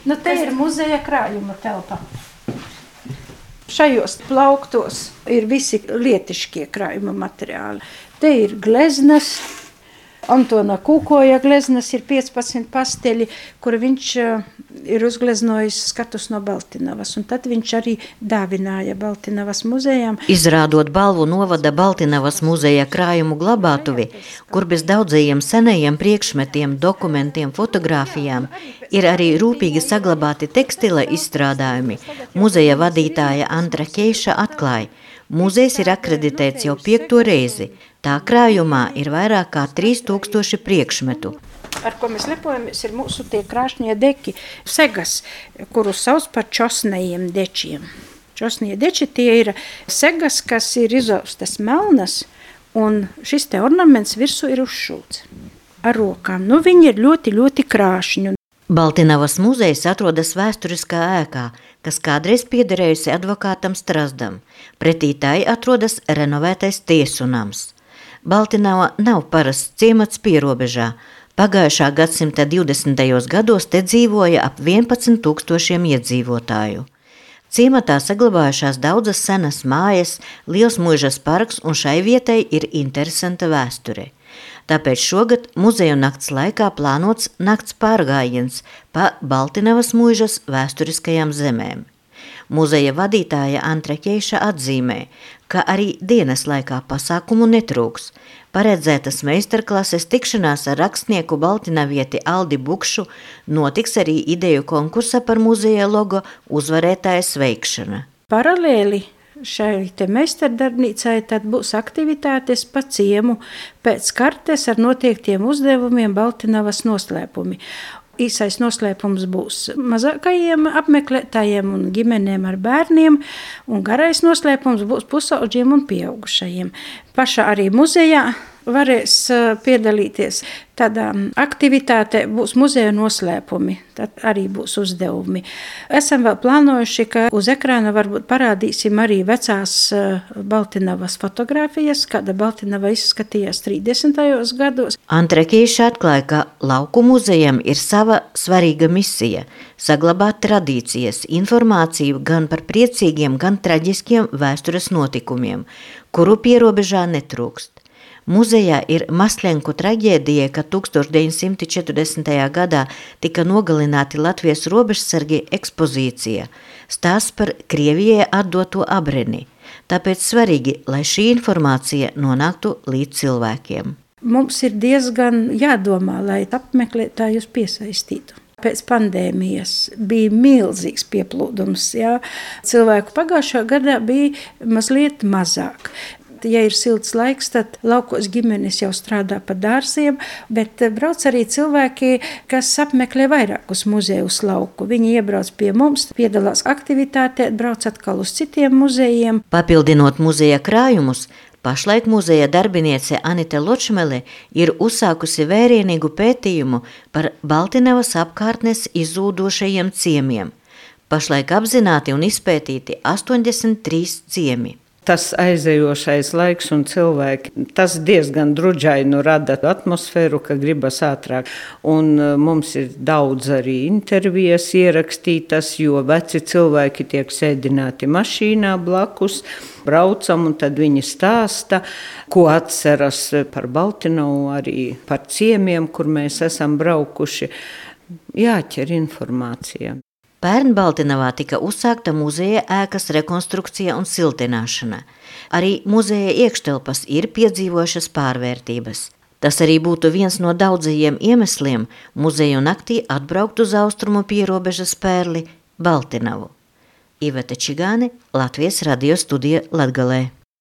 Nu, te ir muzeja krājuma telpa. Šajos plauktos ir visi lietiškie krājuma materiāli. Te ir gleznas. Antona Kūkoja gleznas ir 15 pasteļi, kur viņš ir uzgleznojis skatus no Baltinavas, un tad viņš arī dāvināja Baltinavas muzejām. Izrādot balvu novada Baltinavas muzeja krājumu glabātuvi, kur bez daudzajiem senajiem priekšmetiem, dokumentiem, fotogrāfijām ir arī rūpīgi saglabāti tekstila izstrādājumi, muzeja vadītāja Antra Keiša atklāja, muzejs ir akreditēts jau 5. reizi. Tā krājumā ir vairāk kā 3000 priekšmetu. Ar ko mēs lepojamies, ir mūsu tie krāšņie deki, segas, kurus sauc par čosnajiem dečiem. Čosnie deči tie ir segas, kas ir izaustas melnas, un šis te ornaments virsū ir uzšūts ar rokām. Nu, viņi ir ļoti, ļoti krāšņi. Baltinavas muzejs atrodas vēsturiskā ēkā, kas kādreiz piederējusi advokātam Strazdam. Pretī tai atrodas renovētais tiesu nams. Baltinava nav parasts ciemats pierobežā. Pagājušā gadsimta 20. gados te dzīvoja ap 11 000 iedzīvotāju. Ciematā saglabājušās daudzas senas mājas, liels muižas parks, un šai vietai ir interesanta vēsture. Tāpēc šogad muzeju nakts laikā plānots nakts pārgājiens pa Baltinavas muižas vēsturiskajām zemēm. Muzeja vadītāja Antra Keiša atzīmē, ka arī dienas laikā pasākumu netrūks. Paredzētas meistarklases, tikšanās ar rakstnieku baltinavieti Aldi Bukšu, notiks arī ideju konkursa par muzeja logo uzvarētāja sveikšana. Paralēli šai te meistardarbnīcai tad būs aktivitātes pa ciemu pēc kartes ar noteiktiem uzdevumiem Baltinavas noslēpumi. Īsais noslēpums būs mazākajiem apmeklētājiem un ģimenēm ar bērniem, un garais noslēpums būs pusaudžiem un pieaugušajiem. Pašā arī muzejā varēs piedalīties. Tādā aktivitātē būs muzeja noslēpumi, tad arī būs uzdevumi. Esam vēl plānojuši, ka uz ekrāna varbūt parādīsim arī vecās Baltinavas fotogrāfijas, kāda Baltinava izskatījās 30. gados. Antra Keiša atklāja, ka lauku muzejam ir sava svarīga misija – saglabāt tradīcijas, informāciju gan par priecīgiem, gan traģiskiem vēstures notikumiem, kuru pierobežā netrūkst. Muzejā ir Maslenku traģēdija, kad 1940. gadā tika nogalināti Latvijas robežsargi ekspozīcija, stāsts par Krievijai atdoto abreni. Tāpēc svarīgi, lai šī informācija nonāktu līdz cilvēkiem. Mums ir diezgan jādomā, lai apmeklētājus piesaistītu. Pēc pandēmijas bija milzīgs pieplūdums. Jā. Cilvēku pagājušā gadā bija mazliet mazāk. Ja ir silts laiks, tad laukos ģimenes jau strādā pa dārziem, bet brauc arī cilvēki, kas apmeklē vairākus muzejus lauku. Viņi iebrauc pie mums, piedalās aktivitātē, brauc atkal uz citiem muzejiem. Papildinot muzeja krājumus, pašlaik muzeja darbiniece Anita Ločmele ir uzsākusi vērienīgu pētījumu par Baltinavas apkārtnes izzūdošajiem ciemiem. Pašlaik apzināti un izpētīti 83 ciemi. Tas aizejošais laiks un cilvēki, tas diezgan druģainu rada atmosfēru, ka gribas ātrāk. Un mums ir daudz arī intervijas ierakstītas, jo veci cilvēki tiek sēdināti mašīnā blakus, braucam un tad viņi stāsta, ko atceras par Baltinavu, arī par ciemiem, kur mēs esam braukuši. Jāķer informācija. Pērn Baltinavā tika uzsākta muzeja ēkas rekonstrukcija un siltināšana. Arī muzeja iekštelpas ir piedzīvojušas pārvērtības. Tas arī būtu viens no daudzajiem iemesliem muzeju naktī atbraukt uz austrumu pierobežas pērli Baltinavu. Iveta Čigāne, Latvijas radio studija Latgalē.